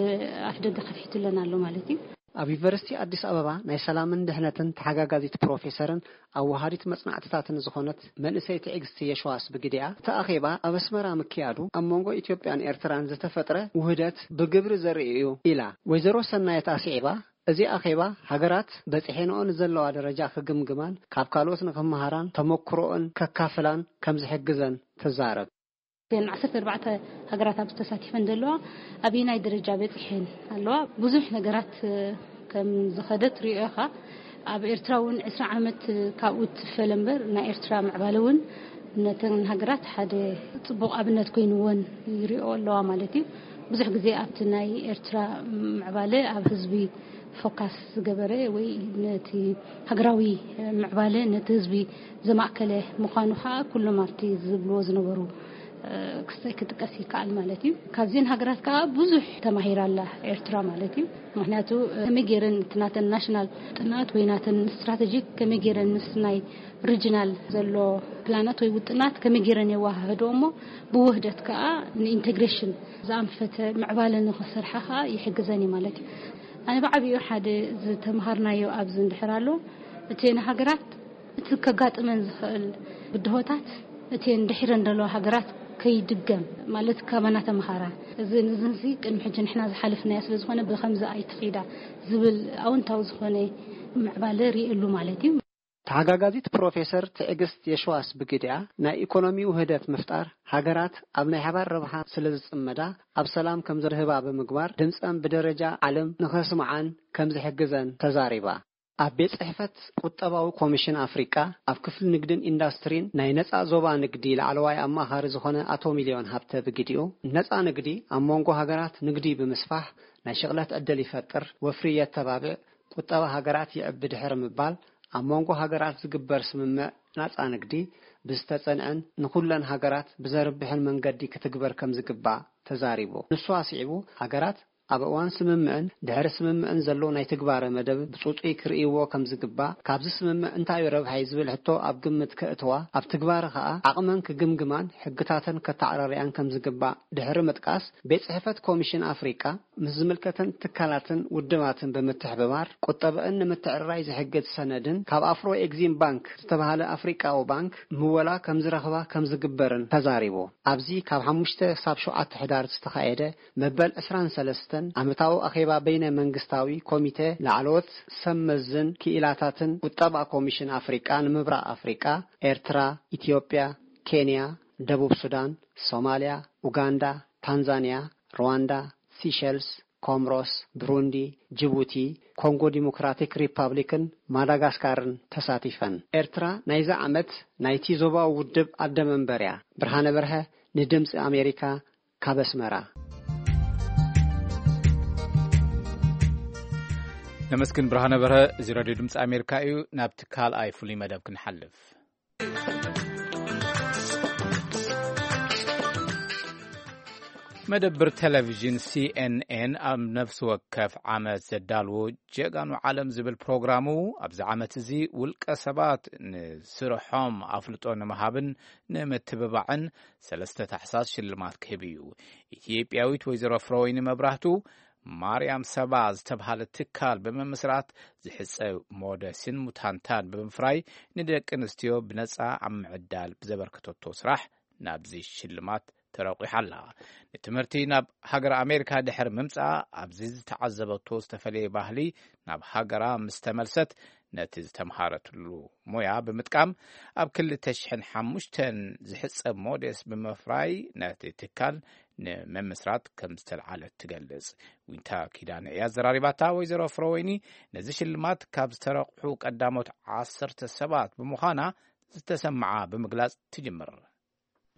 ኣፍደገ ከፊቱለን ኣሎ ማለት እዩ። ኣብ ዩኒቨርሲቲ ኣዲስ ኣበባ ናይ ሰላምን ድሕነትን ተሓጋጋዚት ፕሮፌሰርን ኣወሃዲት መጽናዕትታትን ዝኾነት መንእሰይ ትዕግስቲ የሸዋስ ብግዲኣ፣ እቲ ኣኼባ ኣብ ኣስመራ ምክያዱ ኣብ መንጎ ኢትዮጵያን ኤርትራን ዝተፈጥረ ውህደት ብግብሪ ዘርኢ እዩ ኢላ። ወይዘሮ ሰናየት ኣስዒባ፣ እዚ ኣኼባ ሃገራት በጺሐንኦ ንዘለዋ ደረጃ ክግምግማን ካብ ካልኦት ንኽመሃራን ተመክሮኦን ከካፍላን ከም ዝሕግዘን ትዛረብ። ግን ዓሰርተ ኣርባዕተ ሃገራት ኣብ ዝተሳቲፈን ዘለዋ ኣበየናይ ደረጃ በጺሐን ኣለዋ? ብዙሕ ነገራት፣ እ፣ ከም ዝኸደ ትሪኦ ኢኻ። ኣብ ኤርትራ እውን ዕስራ ዓመት፣ እ፣ ካብኡ ትፈለ እምበር ናይ ኤርትራ ምዕባለ እውን ነተን ሃገራት ሓደ ጽቡቕ ኣብነት ኮይንወን ይሪኦ ኣለዋ ማለት እዩ። ብዙሕ ግዜ ኣብቲ ናይ ኤርትራ ምዕባለ ኣብ ህዝቢ ፎካስ ዝገበረ ወይ ነቲ ሃገራዊ ምዕባለ ነቲ ህዝቢ ዘማእከለ ምዃኑ ከዓ ኩሎም ኣብቲ ዝብልዎ ዝነበሩ፣ እ፣ ክስተ-፣ ክጥቀስ ይከኣል ማለት እዩ። ካብዘን ሃገራት ከዓ ብዙሕ ተማሂራ ኣላ ኤርትራ ማለት እዩ። ምኽንያቱ፣ እ፣ ከመይ ገይረን እቲ ናተን ናሽናል ጥናት ወይ ናተን ስትራተጂ ከመይ ገይረን ምስ ናይ ሪጅናል ዘሎ ፕላናት ወይ ውጥናት ከመይ ገይረን የወሃህድኦ እሞ ብውህደት ከዓ ንኢንቴግሬሽን ዝኣንፈተ ምዕባለ ንኽሰርሓ ከዓ ይሕግዘን እዩ ማለት እዩ። ኣነ ብዓብዩ ሓደ ዝተምሃርናዮ ኣብዚ እንድሕር ኣሎ፣ እተን ሃገራት እቲ ከጋጥመን ዝኽእል ብድሆታት እተን ድሒረን ዘለዋ ሃገራት ከይድገም ማለት ካባና ተምሃራ። እዚ ንዝንሲ ቅድሚ ሕጂ ንሕና ዝሓለፍናዮ ስለ ዝኾነ ብኸምዚ ኣይትኺዳ ዝብል ኣውንታዊ ዝኾነ ምዕባለ ርእየሉ ማለት እዩ። ተሓጋጋዚት ፕሮፌሰር ትዕግስት የሸዋስ ብግዲኣ፣ ናይ ኢኮኖሚ ውህደት ምፍጣር ሃገራት ኣብ ናይ ሓባር ረብሓ ስለ ዝጽመዳ፣ ኣብ ሰላም ከም ዘድህባ ብምግባር፣ ድምጸን ብደረጃ ዓለም ንኸስምዓን ከም ዝሕግዘን ተዛሪባ። ኣብ ቤት ጽሕፈት ቁጠባዊ ኮሚሽን ኣፍሪቃ፣ ኣብ ክፍሊ ንግድን ኢንዳስትሪን ናይ ነጻ ዞባ ንግዲ ላዕለዋይ ኣማኻሪ ዝኾነ ኣቶ ሚልዮን ሃብተ ብግዲኡ፣ ነጻ ንግዲ ኣብ መንጎ ሃገራት ንግዲ ብምስፋሕ ናይ ሽቕለት ዕድል ይፈጥር፣ ወፍሪ የተባብዕ፣ ቁጠባ ሃገራት ይዕቢ ድሕሪ ምባል፣ ኣብ መንጎ ሃገራት ዝግበር ስምምዕ ናጻ ንግዲ ብዝተጸንዐን ንኹለን ሃገራት ብዘርብሕን መንገዲ ክትግበር ከም ዝግባእ ተዛሪቡ። ንሱ ኣስዒቡ፣ ሃገራት ኣብ እዋን ስምምዕን ድሕሪ ስምምዕን ዘሎ ናይ ትግባረ መደብ ብጽጹይ ክርእይዎ ከም ዝግባእ፣ ካብዚ ስምምዕ እንታይ ረብሓ እዩ ዝብል ሕቶ ኣብ ግምት ከእትዋ፣ ኣብ ትግባረ ከኣ ዓቕመን ክግምግማን ሕግታተን ከተዓራርያን ከም ዝግባእ ድሕሪ ምጥቃስ፣ ቤት ጽሕፈት ኮሚሽን ኣፍሪቃ ምስ ዝምልከተን ትካላትን ውድባትን ብምትሕብባር ቁጠበአን ንምትዕርራይ ዝሕግዝ ሰነድን ካብ ኣፍሮ ኤግዚም ባንክ ዝተባህለ ኣፍሪቃዊ ባንክ ምወላ ከም ዝረኽባ ከም ዝግበርን ተዛሪቡ። ኣብዚ ካብ ሓሙሽተ ክሳብ ሸውዓተ ሕዳር ዝተኻየደ መበል ዕስራን ሰለስተን ዓመታዊ ኣኼባ በይነ መንግስታዊ ኮሚቴ ላዕለዎት ሰብ መዝን ክኢላታትን ቁጠባ ኮሚሽን ኣፍሪቃ ንምብራቕ ኣፍሪቃ፣ ኤርትራ፣ ኢትዮጵያ፣ ኬንያ፣ ደቡብ ሱዳን፣ ሶማልያ፣ ኡጋንዳ፣ ታንዛንያ፣ ሩዋንዳ፣ ሲሸልስ፣ ኮምሮስ፣ ብሩንዲ፣ ጅቡቲ፣ ኮንጎ ዲሞክራቲክ ሪፓብሊክን ማዳጋስካርን ተሳቲፈን። ኤርትራ ናይዚ ዓመት ናይቲ ዞባዊ ውድብ ኣደ መንበር እያ። ብርሃነ በርሀ ንድምጺ ኣሜሪካ ካብ ኣስመራ። ነመስግን ብርሃነ በርሀ። እዚ ሬድዮ ድምፂ ኣሜሪካ እዩ። ናብቲ ካልኣይ ፍሉይ መደብ ክንሓልፍ። መደብር ቴሌቪዥን ሲኤንኤን ኣብ ነፍሲ ወከፍ ዓመት ዘዳልዎ ጀጋኑ ዓለም ዝብል ፕሮግራሙ፣ ኣብዚ ዓመት እዚ ውልቀ ሰባት ንስርሖም ኣፍልጦ ንምሃብን ንምትብባዕን ሰለስተ ታሕሳስ ሽልማት ክህብ እዩ። ኢትዮጵያዊት ወይዘሮ ፍረወይኒ መብራህቱ፣ ማርያም ሰባ ዝተብሃለ ትካል ብምምስራት፣ ዝሕጸብ ሞደስን ሙታንታን ብምፍራይ፣ ንደቂ ኣንስትዮ ብነጻ ኣብ ምዕዳል ብዘበርከተቶ ስራሕ ናብዚ ሽልማት ተረቂሓ ኣላ። ንትምህርቲ ናብ ሃገር ኣሜሪካ ድሕሪ ምምጻእ፣ ኣብዚ ዝተዓዘበቶ ዝተፈለየ ባህሊ ናብ ሃገራ ምስ ተመልሰት፣ ነቲ ዝተምሃረትሉ ሞያ ብምጥቃም፣ ኣብ ክልተ ሽሕን ሓሙሽተን ዝሕጸብ ሞዴስ ብምፍራይ፣ ነቲ ትካል ንምምስራት ከም ዝተልዓለት ትገልጽ። ዊንታ ኪዳነ እያ ዘራሪባታ። ወይዘሮ ፍረወይኒ ነዚ ሽልማት ካብ ዝተረቑሑ ቀዳሞት ዓሰርተ ሰባት ብምዃና ዝተሰምዓ ብምግላጽ ትጅምር።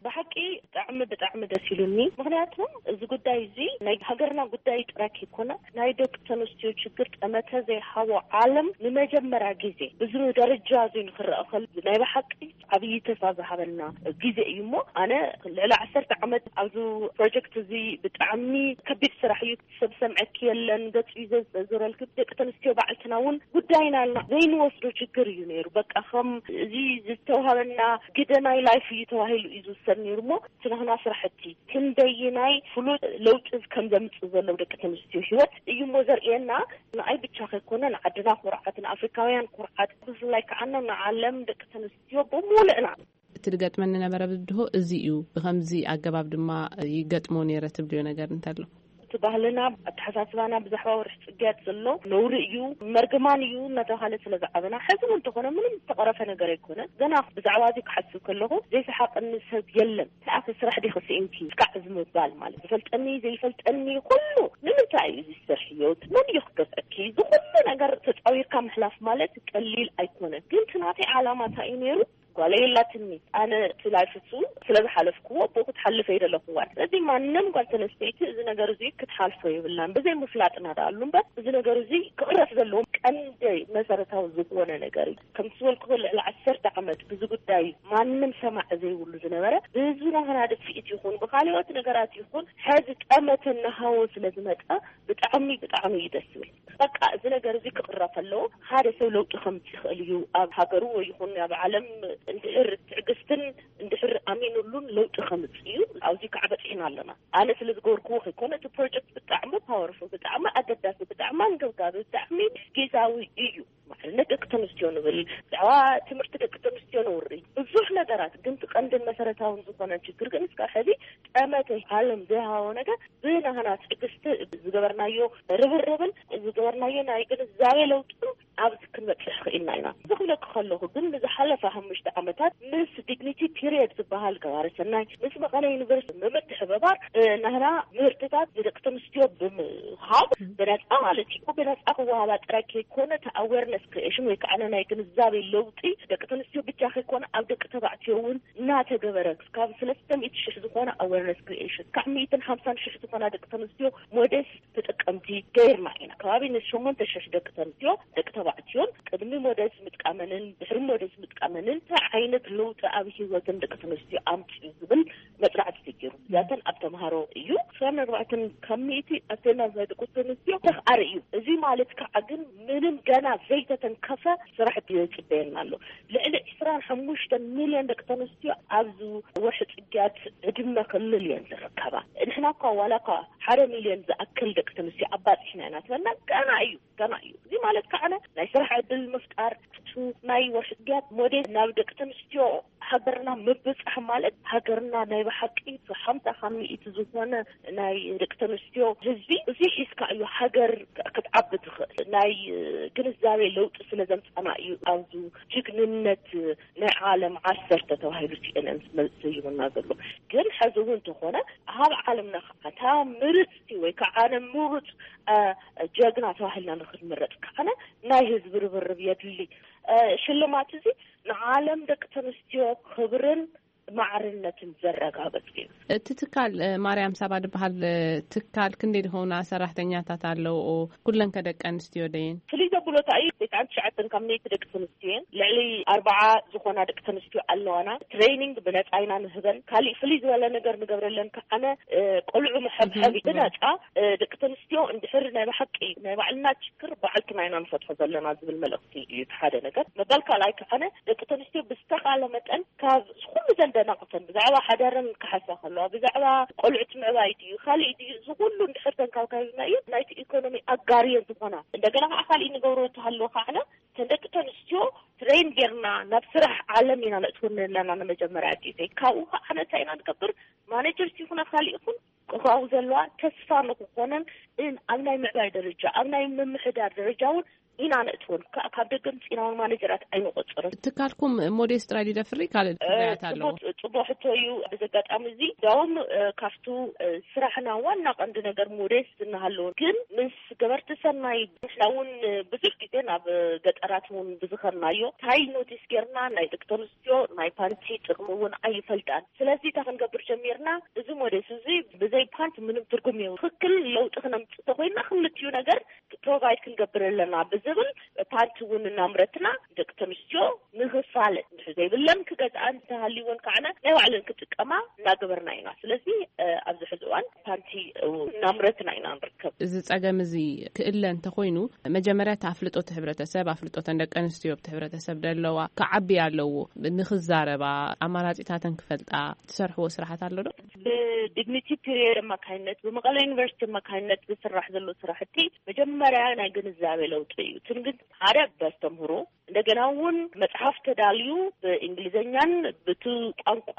ብሓቂ ብጣዕሚ፣ ብጣዕሚ ደስ ኢሉኒ። ምኽንያቱ እዚ ጉዳይ እዚ ናይ ሃገርና ጉዳይ ጥራይ ከይኮነ፣ ናይ ደቂ ተንስትዮ ችግር ጠመተ ዘይሃቦ ዓለም ንመጀመርያ ግዜ ብዚ ደረጃ እዚ ንክረአ ከሎ፣ ናይ ብሓቂ ዓብዪ ተስፋ ዝሃበና ግዜ እዩ። እሞ ኣነ ልዕሊ ዓሰርተ ዓመት ኣብዚ ፕሮጀክት እዚ ብጣዕሚ ከቢድ ስራሕ እዩ። ሰብ ሰምዐኪ የለን፣ ገጹ እዩ ዘ-፣ ዘዞረልኪ። ደቂ ተንስትዮ ባዕልትና እውን ጉዳይና ኢልና ዘይንወስዶ ችግር እዩ ነይሩ። በቃ ከም እዚ ዝተውሃበና ግደ ናይ ላይፍ እዩ ተባሂሉ እዩ ዝውሰድ ነይሩ። እሞ እቲ ናህና ስራሕቲ ክንደይናይ ፍሉጥ ለውጢ ከም ዘምጽእ ዘሎ ደቂ ተንስትዮ ህይወት እዩ እሞ ዘርእየና። ንኣይ ብቻ ከይኮነ ንዓድና ኩርዓት፣ ንኣፍሪካውያን ኩርዓት፣ ብፍላይ ከዓ ንዓለም ደቂ ተንስትዮ ብምሉእና። እቲ ዝገጥመኒ ነበረ ብድሆ እዚ እዩ፣ ብኸምዚ ኣገባብ ድማ ይገጥሞ ነይረ ትብልዮ ነገር እንተሎ? እቲ ባህልና፣ ኣተሓሳስባና ብዛዕባ ወርሒ ጽግያት ዘሎ ነውሪ እዩ፣ መርግማን እዩ እናተባሃለ ስለ ዝዓበና፣ ሕዚ እውን እንተኾነ ምንም ዝተቐረፈ ነገር ኣይኮነን። ገና ብዛዕባ እዚ ክሓስብ ከለኹ ዘይሰሓቐኒ ሰብ የለን። ተኣኺ ስራሕ ዲኺ ስኢንኪ እስካዕ ዝምባል ማለት፣ ዝፈልጠኒ ዘይፈልጠኒ ኩሉ ንምንታይ እዩ እዚ ዝሰርሕዮ? መን እዩ ክገዝአኪ? እዚ ኩሉ ነገር ተጻዊርካ ምሕላፍ ማለት ቀሊል ኣይኮነን። ግን እቲ ናተይ ዓላማ እንታይ እዩ ነይሩ? ጓለይ የላትኒ። ኣነ እቲ ላይፍ እሱ ስለ ዝሓለፍክዎ ብኡ ክትሓልፈ ይደለኹዋን። ስለዚ ማንም ጓል ተነስተይቲ እዚ ነገር እዚ ክትሓልፎ የብላን። ብዘይ ምፍላጥና ደኣ ኣሉ እምበር፣ እዚ ነገር እዚ ክቕረፍ ዘለዎ ቀንዲ መሰረታዊ ዝኾነ ነገር እዩ። ከም ዝበልኩ ልዕሊ ዓሰርተ ዓመት ብዚ ጉዳይ ማንም ሰማዒ ዘይብሉ ዝነበረ፣ ብህዝብና ክናደድ ስኢት ይኹን፣ ብካልኦት ነገራት ይኹን፣ ሕዚ ጠመተ እናሃወ ስለ ዝመጸ ብጣዕሚ፣ ብጣዕሚ እዩ ደስ ዝብል። በቃ እዚ ነገር እዚ ክቕረፍ ኣለዎ። ሓደ ሰብ ለውጢ ከምጽእ ይኽእል እዩ። ኣብ ሃገሩ ወይ ይኹን ኣብ ዓለም እንድሕር ትዕግስትን እንድሕር ኣሚኑሉን ለውጢ ከምጽእ እዩ። ኣብዚ ከዓ በጺሕና ኣለና። ኣነ ስለ ዝገበርክዎ ከይኮነ፣ እቲ ፕሮጀክት ብጣዕሚ ፓወርፉል፣ ብጣዕሚ ኣገዳሲ፣ ብጣዕሚ ኣንገብጋቢ፣ ብጣዕሚ ግዛዊ እዩ። ማለት ደቂ ተንስትዮ ንብል፣ ብዛዕባ ትምህርቲ ደቂ ተንስትዮ ነውሪ፣ ብዙሕ ነገራት። ግን እቲ ቀንድን መሰረታውን ዝኾነ ችግር ግን እስካብ ሕዚ ጠመተ ዓለም ዘይሃቦ ነገር ብናህና ትዕግስቲ ዝገበርናዮ ርብርብን ዝገበርናዮ ናይ ግንዛቤ ለውጥን ኣብዚ ክንበጽሕ ክኢልና ኢና። እዚ ክብለኪ ከለኹ ግን ንዝሓለፈ ሓሙሽተ ዓመታት ምስ ዲግኒቲ ፒሪየድ ዝበሃል ገባሪ ሰናይ ምስ መቐለ ዩኒቨርሲቲ ብምትሕብባር፣ እ፣ ናህና ምህርትታት ንደቂ ተንስትዮ ብምሃብ ብነጻ ማለት እዩ። ብነጻ ክወሃባ ጥራይ ከይኮነ፣ እቲ ኣዌርነስ ክሪኤሽን ወይ ከዓ ናይ ግንዛቤ ለውጢ ደቂ ተንስትዮ ብቻ ከይኮነ ኣብ ደቂ ተባዕትዮ እውን እናተገበረ ክሳብ ሰለስተ ሚእቲ ሽሕ ዝኾነ ኣዌርነስ ክሪኤሽን፣ ካብ ሚእትን ሓምሳን ሽሕ ዝኾና ደቂ ተንስትዮ ሞዴስ ተጠቀምቲ ገይርና ኢና። ከባቢ ንሸሞንተ ሽሕ ደቂ ተንስትዮ ደቂ ተባዕትዮን ቅድሚ ሞዴስ ምጥቃመንን ድሕሪ ሞዴስ ምጥቃመንን እንታይ ዓይነት ለውጢ ኣብ ህይወትን ደቂ ተንስትዮ ኣምፅኡ ዝብል መፅናዕቲ ተገይሩ። እዚኣተን ኣብ ተምሃሮ እዩ። ሸሞንተ ኣርባዕተ ካብ ሚእቲ ኣቴንዳንስ ናይ ደቂ ተንስትዮ ተኽኣሪ እዩ። እዚ ማለት ከዓ ግን ምንም ገና ዘይተተንከፈ ስራሕ እዩ ዝፅበየና ኣሎ። ልዕሊ ዕስራን ሓሙሽተን ሚልዮን ደቂ ተንስትዮ ኣብዚ ወርሒ ጽግያት ዕድመ ክልል እየን ዝርከባ። ንሕና እኳ ዋላ እኳ ሓደ ሚልዮን ዝኣክል ደቂ ተንስትዮ ኣባጺሕና ኢና ትበልና፣ ገና እዩ፣ ገና እዩ። እዚ ማለት ከዓነ ናይ ስራሕ ዕድል ምፍጣር፣ እቲ ናይ ወርሒ ጽግያት ሞዴል ናብ ደቂ ተንስትዮ ሃገርና ምብጻሕ ማለት ሃገርና ናይ ብሓቂ ሓምሳ ካብ ሚእቲ ዝኾነ ናይ ደቂ ተንስትዮ ህዝቢ እዚ ሒዝካ እዩ ሃገር ክትዓቢ ትኽእል። ናይ ግንዛቤ ለውጢ ስለ ዘምጻና እዩ ኣብዚ ጅግንነት ናይ ዓለም ዓሰርተ ተባሂሉ ሲኤንኤን ዝመ-፣ ዝሰይሙና ዘሎ። ግን ሕዚ እውን እንተኾነ ኣብ ዓለምና ከዓ እታ ምርፅቲ ወይ ከዓ ኣነ ምሩፅ፣ አ፣ ጀግና ተባሂልና ንክንምረፅ ከዓ ናይ ህዝቢ ርብርብ የድሊ። አ፣ ሽልማት እዚ ንዓለም ደቂ ተንስትዮ ክብርን ማዕርነትን ዘረጋገጽ እዩ። እቲ ትካል ማርያም ሳባ ዝበሃል ትካል ክንደይ ዝኾና ሰራሕተኛታት ኣለውኦ? ኩለን ከደቂ ኣንስትዮ ደየን? ፍልይ ዘብሎ እንታይ እዩ? ተስዓን ትሽዓተን ካብ ሚእቲ ደቂ ኣንስትዮ እየን። ልዕሊ ኣርባዓ ዝኾና ደቂ ኣንስትዮ ኣለዋና። ትሬኒንግ ብነፃ ኢና ንህበን። ካሊእ ፍልይ ዝበለ ነገር ንገብረለን ከዓነ ቆልዑ መሐብሐቢ ብነፃ። ደቂ ኣንስትዮ እንድሕር ናይ ብሓቂ ናይ ባዕልና ችግር ባዕልትና ኢና ንፈትሖ ዘለና ዝብል መልእኽቲ እዩ። እቲ ሓደ ነገር መበል ካልኣይ ከዓነ ደቂ ኣንስትዮ ብዝተኻለ መጠን ካብ ኩሉ ዘንደናቕተን ብዛዕባ ሓዳረን ክሓሳ ከለዋ ብዛዕባ ቆልዑት ምዕባይ ድዩ ካሊእ ድዩ እዚ ኩሉ እንድሕር ተንካብካቢና እዩ ናይቲ ኢኮኖሚ ኣጋርየን ዝኾና። እንደገና ከዓ ካሊእ ንገብሮ እንተሃለዎ ከዓነ ተን ደቂ ኣንስትዮ ትሬን ጌርና ናብ ስራሕ ዓለም ኢና ነእትወን ኣለና ንመጀመርያ ግዜ። ካብኡ ከዓ ነታ ኢና ንገብር ማኔጀርስ ይኹና ካሊእ ይኹን ክኸው ዘለዋ ተስፋ ንክኾነን እን ኣብ ናይ ምዕባይ ደረጃ ኣብ ናይ ምምሕዳር ደረጃ እውን ኢና ነእትወን። ካብ ደገ ምፂና እውን ማኔጀራት ኣይንቆፅርን። ትካልኩም ሞዴስ ጥራይ ድደፍሪ ካልእ ፍርያት ኣለዎ? ጽቡቅ ሕቶ እዩ። ብዚ ኣጋጣሚ እዚ እንዲያውም ካብቱ ስራሕና ዋና ቀንዲ ነገር ሞዴስ እናሃለዎ ግን ምስ ገበርቲ ሰናይ ንሕና እውን ብዙሕ ግዜ ናብ ገጠራት እውን ብዝኸድናዮ እንታይ ኖቲስ ጌርና ናይ ደቂ ኣንስትዮ ናይ ፓንቲ ጥቕሚ እውን ኣይፈልጣን። ስለዚ እንታይ ክንገብር ጀሚርና? እዚ ሞዴስ እዚ ብዘይ ፓንት ምንም ትርጉም የብሉ። ትኽክል ለውጢ ክነምፅእ ተኮይንና ክልቲኡ ነገር ፕሮቫይድ ክንገብር ኣለና ብዝብል ፓንት እውን እናምረትና ደቂ ኣንስትዮ ንኽፋለጥ እንድሕር ዘይብለን ክገዝኣ እንተሃልይወን ከዓነ ናይ ባዕለን ክጥቀማ እናገበርና ኢና። ስለዚ ኣብዚ ሕዚ እዋን ፓንቲ እናምረትና ኢና ንርከብ። እዚ ጸገም እዚ ክእለ እንተኾይኑ መጀመርያ እቲ ኣፍልጦ እቲ ሕብረተሰብ ኣፍልጦ ተን ደቂ ኣንስትዮ ኣብቲ ሕብረተሰብ ደለዋ ክዓቢ ኣለዎ። ንኽዛረባ ኣማራጺታተን ክፈልጣ ትሰርሕዎ ስራሓት ኣሎ ዶ? ብዲግኒቲ ፒሪየድ ኣማካይነት ብመቐለ ዩኒቨርሲቲ ኣማካይነት ዝስራሕ ዘሎ ስራሕቲ መጀመርያ ናይ ግንዛቤ ለውጢ እዩ። ትንግን ሓደ በስተምህሮ እንደገና እውን መጽሓፍ ተዳልዩ ብእንግሊዝኛን ብቲ ቋንቋ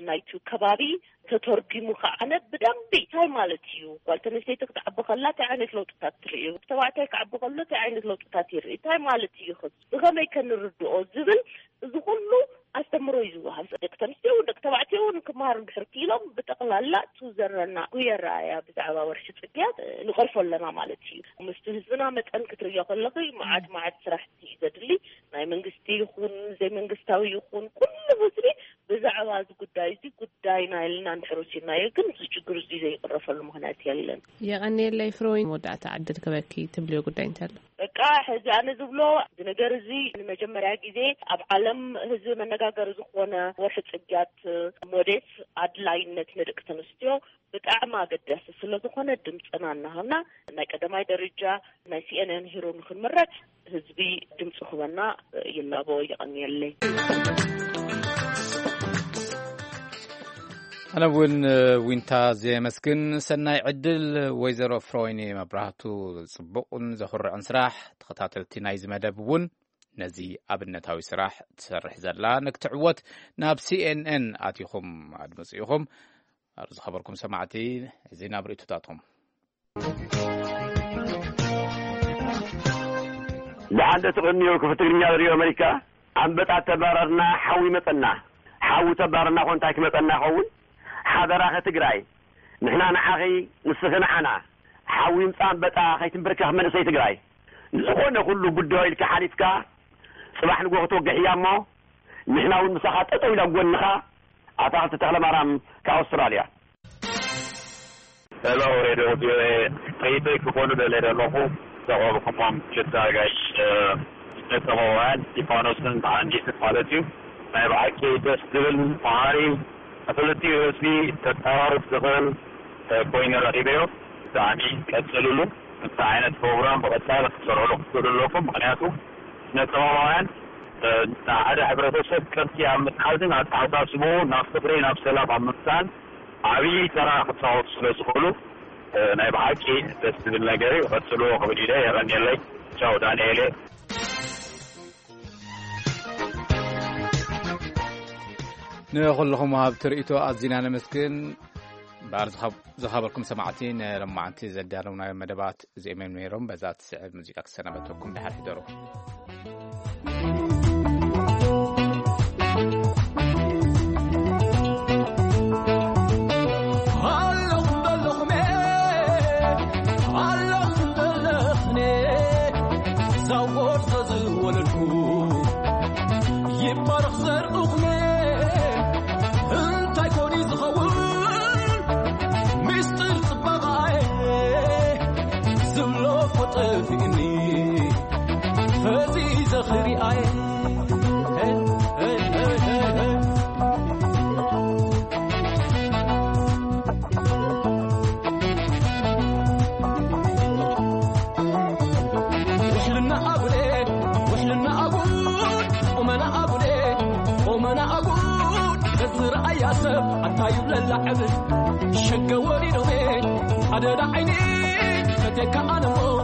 ናይቲ ከባቢ ተተርጉሙ ከዓነ ብደንቢ እንታይ ማለት እዩ ጓል ተነስተይቲ ክትዓቢ ከላ እንታይ ዓይነት ለውጥታት ትርኢ ተባዕታይ ክዓቢ ከሎ እንታይ ዓይነት ለውጥታት ይርኢ እንታይ ማለት እዩ ኽስ ብኸመይ ከንርድኦ ዝብል እዚ ኩሉ ኣስተምሮ እዩ ዝወሃብ። ደቂ ተንስትዮ እውን ደቂ ተባዕትዮ እውን ክመሃሩ እንድሕር ክኢሎም ብጠቕላላ እቲ ዘለና ጉየራ እያ ብዛዕባ ወርሒ ጽግያት ንቐርፎ ኣለና ማለት እዩ። ምስቲ ህዝብና መጠን ክትርእዮ ከለኺ መዓት መዓት ስራሕቲ እዩ ዘድሊ። ናይ መንግስቲ ይኹን ዘይመንግስታዊ ይኹን ኩሉ ህዝቢ ብዛዕባ እዚ ጉዳይ እዚ ጉዳይና ኢልና እንድሕር ወሲድናዮ ግን እዚ ችግር እዚ ዘይቕረፈሉ ምኽንያት የለን። የቐንየለይ ፍሮይን መወዳእታ ዕድል ክበኪ ትብልዮ ጉዳይ እንታይ ኣሎ? በቃ ሕዚ ኣነ ዝብሎ እዚ ነገር እዚ ንመጀመርያ ግዜ ኣብ ዓለም ህዝቢ መነጋገሪ ዝኾነ ወርሒ ጽግያት ሞዴስ ኣድላይነት ንደቂ ተንስትዮ ብጣዕሚ ኣገዳሲ ስለዝኾነ ድምፅና እናሃብና ናይ ቀዳማይ ደረጃ ናይ ሲኤንኤን ሂሮ ንክንምረፅ ህዝቢ ድምፂ ክበና ይላቦ። የቐንየለይ። ኣነ እውን ዊንታ ዘመስግን። ሰናይ ዕድል ወይዘሮ ፍሮይኒ መብራህቱ። ጽቡቕን ዘኹርዕን ስራሕ። ተኸታተልቲ ናይዚ መደብ እውን ነዚ ኣብነታዊ ስራሕ ትሰርሕ ዘላ ንክትዕወት ናብ ሲኤንኤን ኣቲኹም ኣድምፁ ኢኹም። ኣብ ዝኸበርኩም ሰማዕቲ፣ እዚ ናብ ርእይቶታትኩም። ደሓን ዶ ትቕንዩ? ክፍቲ ትግርኛ ሬድዮ ኣመሪካ። ኣንበጣ ተባረርና፣ ሓዊ መጸና። ሓዊ ተባረርና እኮ እንታይ ክመጸና ይኸውን? ሓደራኺ ትግራይ፣ ንሕና ንዓኺ፣ ንስኺ ንዓና። ሓዊ ይምጻእ ኣንበጣ፣ ከይትንበርከኽ መንእሰይ ትግራይ። ንዝኾነ ኩሉ ጉዳዩ ኢልካ ሓሊፍካ፣ ጽባሕ ንግሆ ክትወግሕ እያ እሞ፣ ንሕና እውን ምሳኻ ጠጠው ኢላ ጎንኻ። ኣታኽልቲ ተኽለማርያም ካብ ኣውስትራልያ። ሄሎ ሬድዮ ቪኦኤ፣ ርኢቶይ ክኾኑ ደልየ ዘለኹ፣ ዘቕረብኩሞም ክልተ ኣጋይሽ፣ እ፣ ስነ-ጥበባውያን ስቲፋኖስን መሃንዲስን ማለት እዩ። ናይ ብሓቂ ደስ ዝብል መሃሪ፣ ንኽልቲኡ ህዝቢ ከቀራርብ ዝኽእል፣ እ፣ ኮይኑ ረኺበዮ። ብጣዕሚ ቀጽልሉ። ከምዚ ዓይነት ፕሮግራም ብቐጻሊ ክትሰርሕሉ ክትኽእሉ ኣለኩም። ምኽንያቱ ስነ-ጥበባውያን፣ እ፣ ንሓደ ሕብረተሰብ ቅርጺ ኣብ ምትሓዝን ኣተሓሳስብኡ ናብ ፍቕሪ፣ ናብ ሰላም ኣብ ምምጻእን ዓብዪ ተራ ክጻወቱ ስለ ዝኽእሉ፣ እ፣ ናይ ብሓቂ ደስ ዝብል ነገር እዩ። ቀጽልዎ ክብል ኢለ። የቐንየለይ። ቻው ዳንኤል እየ። ንኹልኹም ወሃብቲ ርእይቶ ኣዚና ነመስግን። እምበኣር ዝኸብ-፣ ዝኸበርኩም ሰማዕቲ፣ ንሎማዓንቲ ዘዳለውናዮም መደባት እዚኦም እዮም ነይሮም። በዛ ትስዕብ ሙዚቃ ክሰናበተኩም፣ ደሓር ሕደሩ። ሪኣየ ውሕልና ኣጉሌ ውሕልና ኣጉል ቁመና ኣጉሌ ቁመና ኣጉል ተዝረኣያ ሰብ ኣንታዩ ለላዕብ ሸገ ወሪዶሜ ኣደዳ ዓይኒ ፈቴካ ኣነሞ